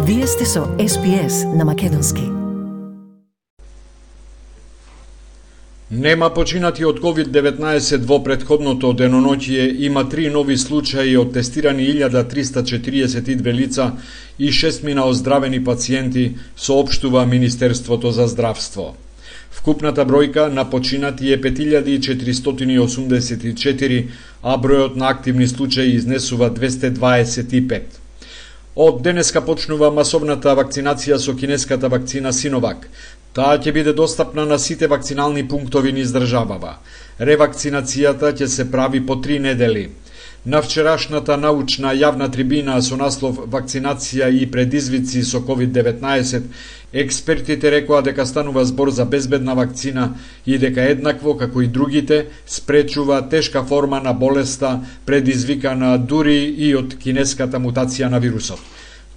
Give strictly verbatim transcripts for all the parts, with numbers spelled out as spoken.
Вие сте со Ес Би Ес на македонски. Нема починати од ковид деветнаесет во претходното деноноќие, има три нови случаи од тестирани илјада триста четириесет и две лица и шестмина оздравени пациенти, соопштува Министерството за здравство. Вкупната бројка на починати е пет илјади четиристотини и осумдесет и четири, а бројот на активни случаи изнесува двесте дваесет и пет. Од денеска почнува масовната вакцинација со кинеската вакцина Синовак. Таа ќе биде достапна на сите вакцинални пунктови низ државава. Ревакцинацијата ќе се прави по три недели. На вчерашната научна јавна трибина со наслов «Вакцинација и предизвици со ковид деветнаесет», експертите рекоа дека станува збор за безбедна вакцина и дека еднакво како и другите спречува тешка форма на болеста предизвикана дури и од кинеската мутација на вирусот.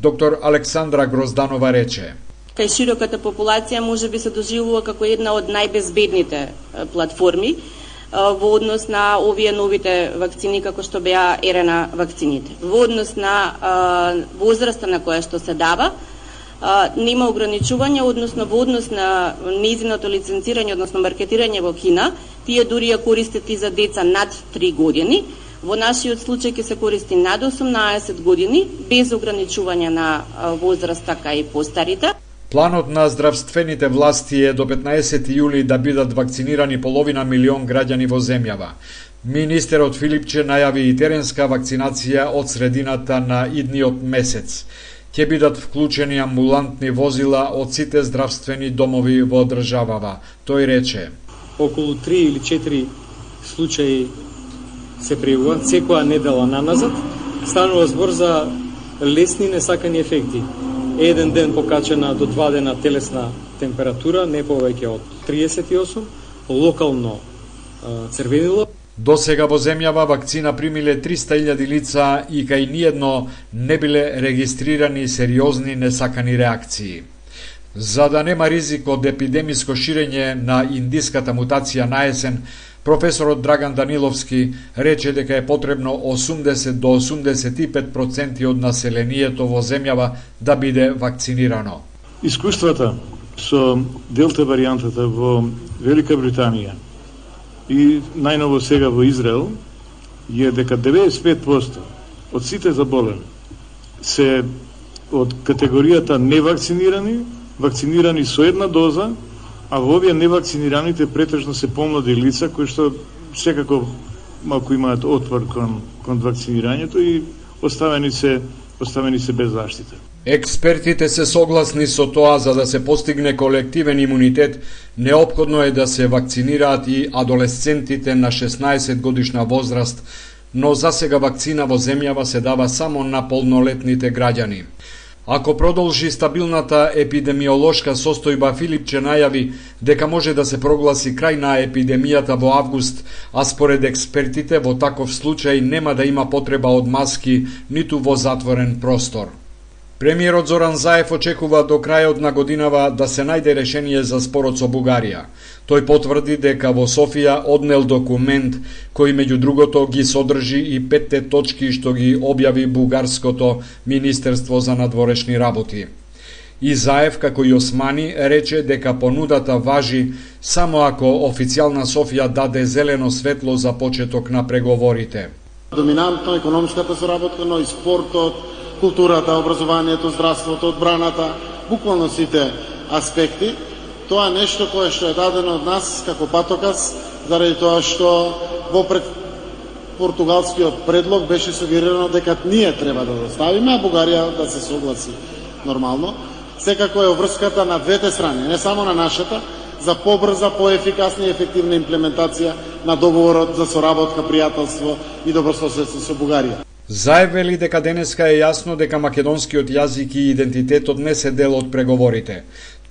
Доктор Александра Грозданова рече: Кај широката популација може би се доживува како една од најбезбедните платформи во однос на овие новите вакцини како што беа Ер Ен А вакцините. Во однос на возраста на која што се дава, нема ограничување, односно во однос на нејзиното лиценцирање, односно маркетирање во Кина, тие дури ја користат и за деца над три години. Во нашиот случај ќе се користи над осумнаесет години, без ограничување на возраста кај постарите. Планот на здравствените власти е до петнаесети јули да бидат вакцинирани половина милион граѓани во земјава. Министерот Филипче најави и теренска вакцинација од средината на идниот месец. Ќе бидат вклучени амбулантни возила од сите здравствени домови во државава. Тој рече: околу три или четири случаи се пријавуваат секоја недела наназад. Станува збор за лесни несакани ефекти. Еден ден покачена до два дена телесна температура, не повеќе од триесет и осум, локално црвенило. До сега во земјава вакцина примиле триста илјади лица и кај ниедно не биле регистрирани сериозни несакани реакции. За да нема ризик од епидемиско ширење на индиската мутација на есен, професорот Драган Даниловски рече дека е потребно осумдесет до осумдесет и пет проценти од населението во земјава да биде вакцинирано. Искуствата со делта варијантата во Велика Британија и најново сега во Израел е дека деветдесет и пет проценти од сите заболени се од категоријата невакцинирани, вакцинирани со една доза, а во овие невакцинираните претежно се помлади лица кои што секако малку имаат отвор кон, кон вакцинирањето и оставени се, оставени се без заштита. Експертите се согласни со тоа, за да се постигне колективен имунитет, неопходно е да се вакцинираат и адолесцентите на шеснаесет годишна возраст, но засега вакцина во земјава се дава само на полнолетните граѓани. Ако продолжи стабилната епидемиолошка состојба, Филипче најави дека може да се прогласи крај на епидемијата во август, а според експертите во таков случај нема да има потреба од маски ниту во затворен простор. Премиерот Зоран Заев очекува до крајот на годинава да се најде решение за спорот со Бугарија. Тој потврди дека во Софија однел документ кој меѓу другото ги содржи и петте точки што ги објави бугарското Министерство за надворешни работи. И Заев, како и Османи, рече дека понудата важи само ако официјална Софија даде зелено светло за почеток на преговорите. Доминантно економската соработка, но и спортот, културата, образованието, здравството, одбраната, буквално сите аспекти. Тоа е нешто кое што е дадено од нас како патоказ, заради тоа што во пред португалскиот предлог беше сугерирано дека ние треба да доставиме, а Бугарија да се согласи нормално. Секако е обврската на двете страни, не само на нашата, за побрза, поефикасна и ефективна имплементација на договорот за соработка, пријателство и добрососедство со Бугарија. Заев вели дека денеска е јасно дека македонскиот јазик и идентитетот не се дел од преговорите.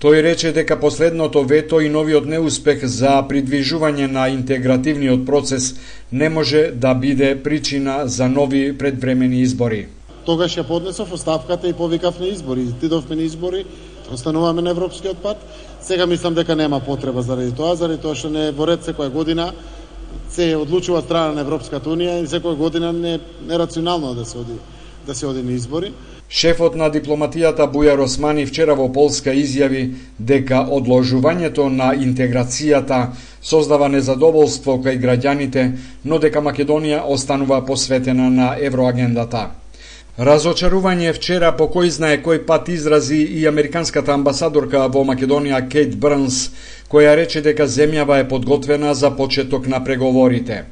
Тој рече дека последното вето и новиот неуспех за придвижување на интегративниот процес не може да биде причина за нови предвремени избори. Тогаш ја поднесов оставката и повикав на избори. Тидовме на избори, остануваме на европскиот пат. Сега мислам дека нема потреба заради тоа, заради тоа што не е во ред секоја година се одлучува страна на Европската унија и секоја година не е нерационално да се оди да се оди на избори. Шефот на дипломатијата Бујар Османи вчера во Полска изјави дека одложувањето на интеграцијата создава незадоволство кај граѓаните, но дека Македонија останува посветена на евроагендата. Разочарување вчера по кој знае кој пат изрази и американската амбасадорка во Македонија Кейт Брнс, која рече дека земјава е подготвена за почеток на преговорите.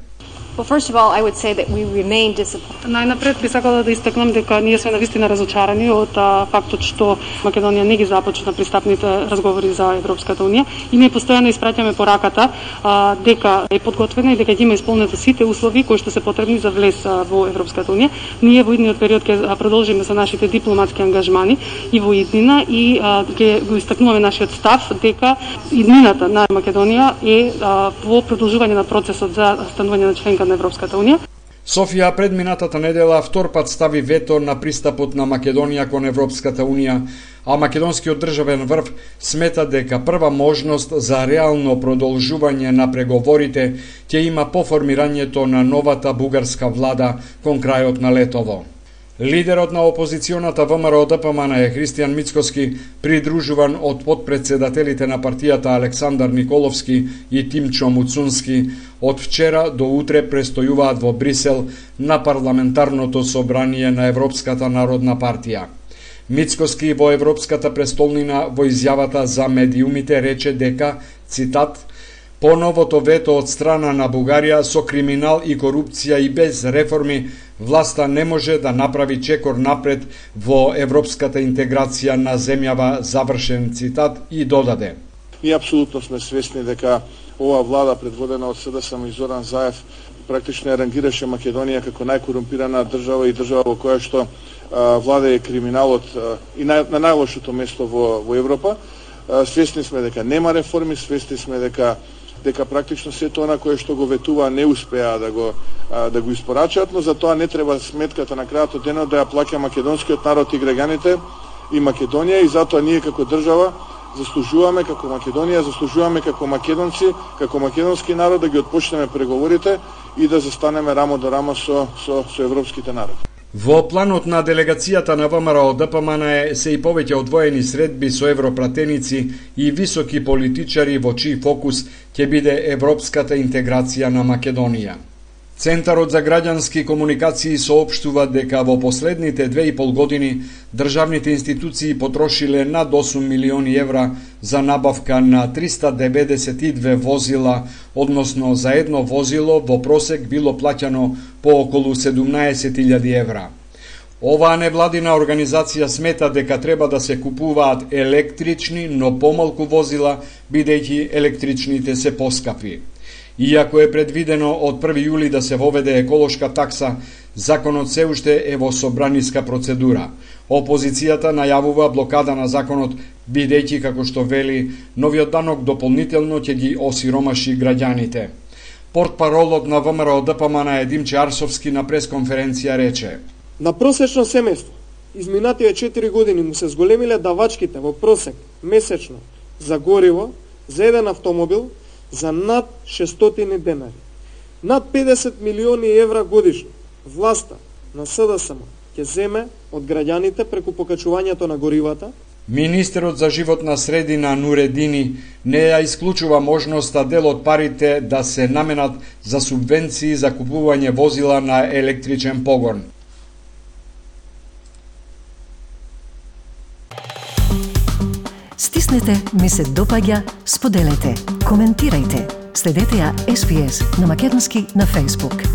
Well, first of all, I would say that we remain disappointed. Најнапред би сакала да истакнам дека ние сме навистина разочарани од а, фактот што Македонија не ги започна пристапните разговори за Европската унија и ние постојано испраќаме пораката а, дека е подготвена и дека ќе има исполнети сите услови кои што се потребни за влез а, во Европската унија. Ние во идниот период ќе продолжиме со нашите дипломатски ангажмани и во иднина и а, ќе го истакнуваме нашиот став дека иднината на Македонија е а, во продолжување на процесот за станување на членка на Европската унија. Софија предминатата недела втор пат стави вето на пристапот на Македонија кон Европската унија, а македонскиот државен врв смета дека прва можност за реално продолжување на преговорите ќе има по формирањето на новата бугарска влада кон крајот на летово. Лидерот на опозиционата ВМРО Д П М Н е Христијан Мицкоски, придружуван од подпредседателите на партијата Александар Николовски и Тимчо Муцунски, од вчера до утре престојуваат во Брисел на парламентарното собрание на Европската народна партија. Мицкоски во Европската престолнина во изјавата за медиумите рече дека, цитат, по новото вето од страна на Бугарија со криминал и корупција и без реформи, власта не може да направи чекор напред во европската интеграција на земјава, завршен цитат, и додаде. Ние апсолутно сме свесни дека ова влада предводена од С Д С М и Зоран Заев практично рангираше Македонија како најкорумпирана држава и држава во која што а, владее криминалот а, и на, на најлошото место во, во Европа. А, свесни сме дека нема реформи, свесни сме дека дека практично сето она кое што го ветува не успеа да го а, да го испорачаат, но за тоа не треба сметката на крајот од денот да ја плаќа македонскиот народ и граѓаните и Македонија, и затоа ние како држава заслужуваме, како Македонија заслужуваме како македонци, како македонски народ да ги отпочнеме преговорите и да застанеме рамо до рамо со со, со европските народи. Во планот на делегацијата на ВМРО Д П М Н се и повеќе одвоени средби со европратеници и високи политичари во чиј фокус ќе биде европската интеграција на Македонија. Центарот за граѓански комуникации соопштува дека во последните две и пол години државните институции потрошиле над осум милиони евра за набавка на триста деветдесет и две возила, односно за едно возило во просек било плаќано по околу седумнаесет илјади евра. Оваа невладина организација смета дека треба да се купуваат електрични, но помалку возила, бидејќи електричните се поскапи. Иако е предвидено од први јули да се воведе еколошка такса, законот се уште е во собраниска процедура. Опозицијата најавува блокада на законот, бидејќи, како што вели, новиот данок дополнително ќе ги осиромаши граѓаните. Портпаролот на ВМРО Д П М Н Димче Арсовски на пресконференција рече: На просечно семејство изминативе четири години му се зголемиле давачките во просек месечно за гориво за еден автомобил за над шестстотини денари. Над педесет милиони евра годишно власта на С Д С М ќе земе од граѓаните преку покачувањето на горивата. Министерот за животна средина Нуредини не ја исклучува можноста дел од парите да се наменат за субвенции за купување возила на електричен погон. Стиснете, ми се допаѓа, споделете, коментирајте. Следете ја С Б С на македонски на Facebook.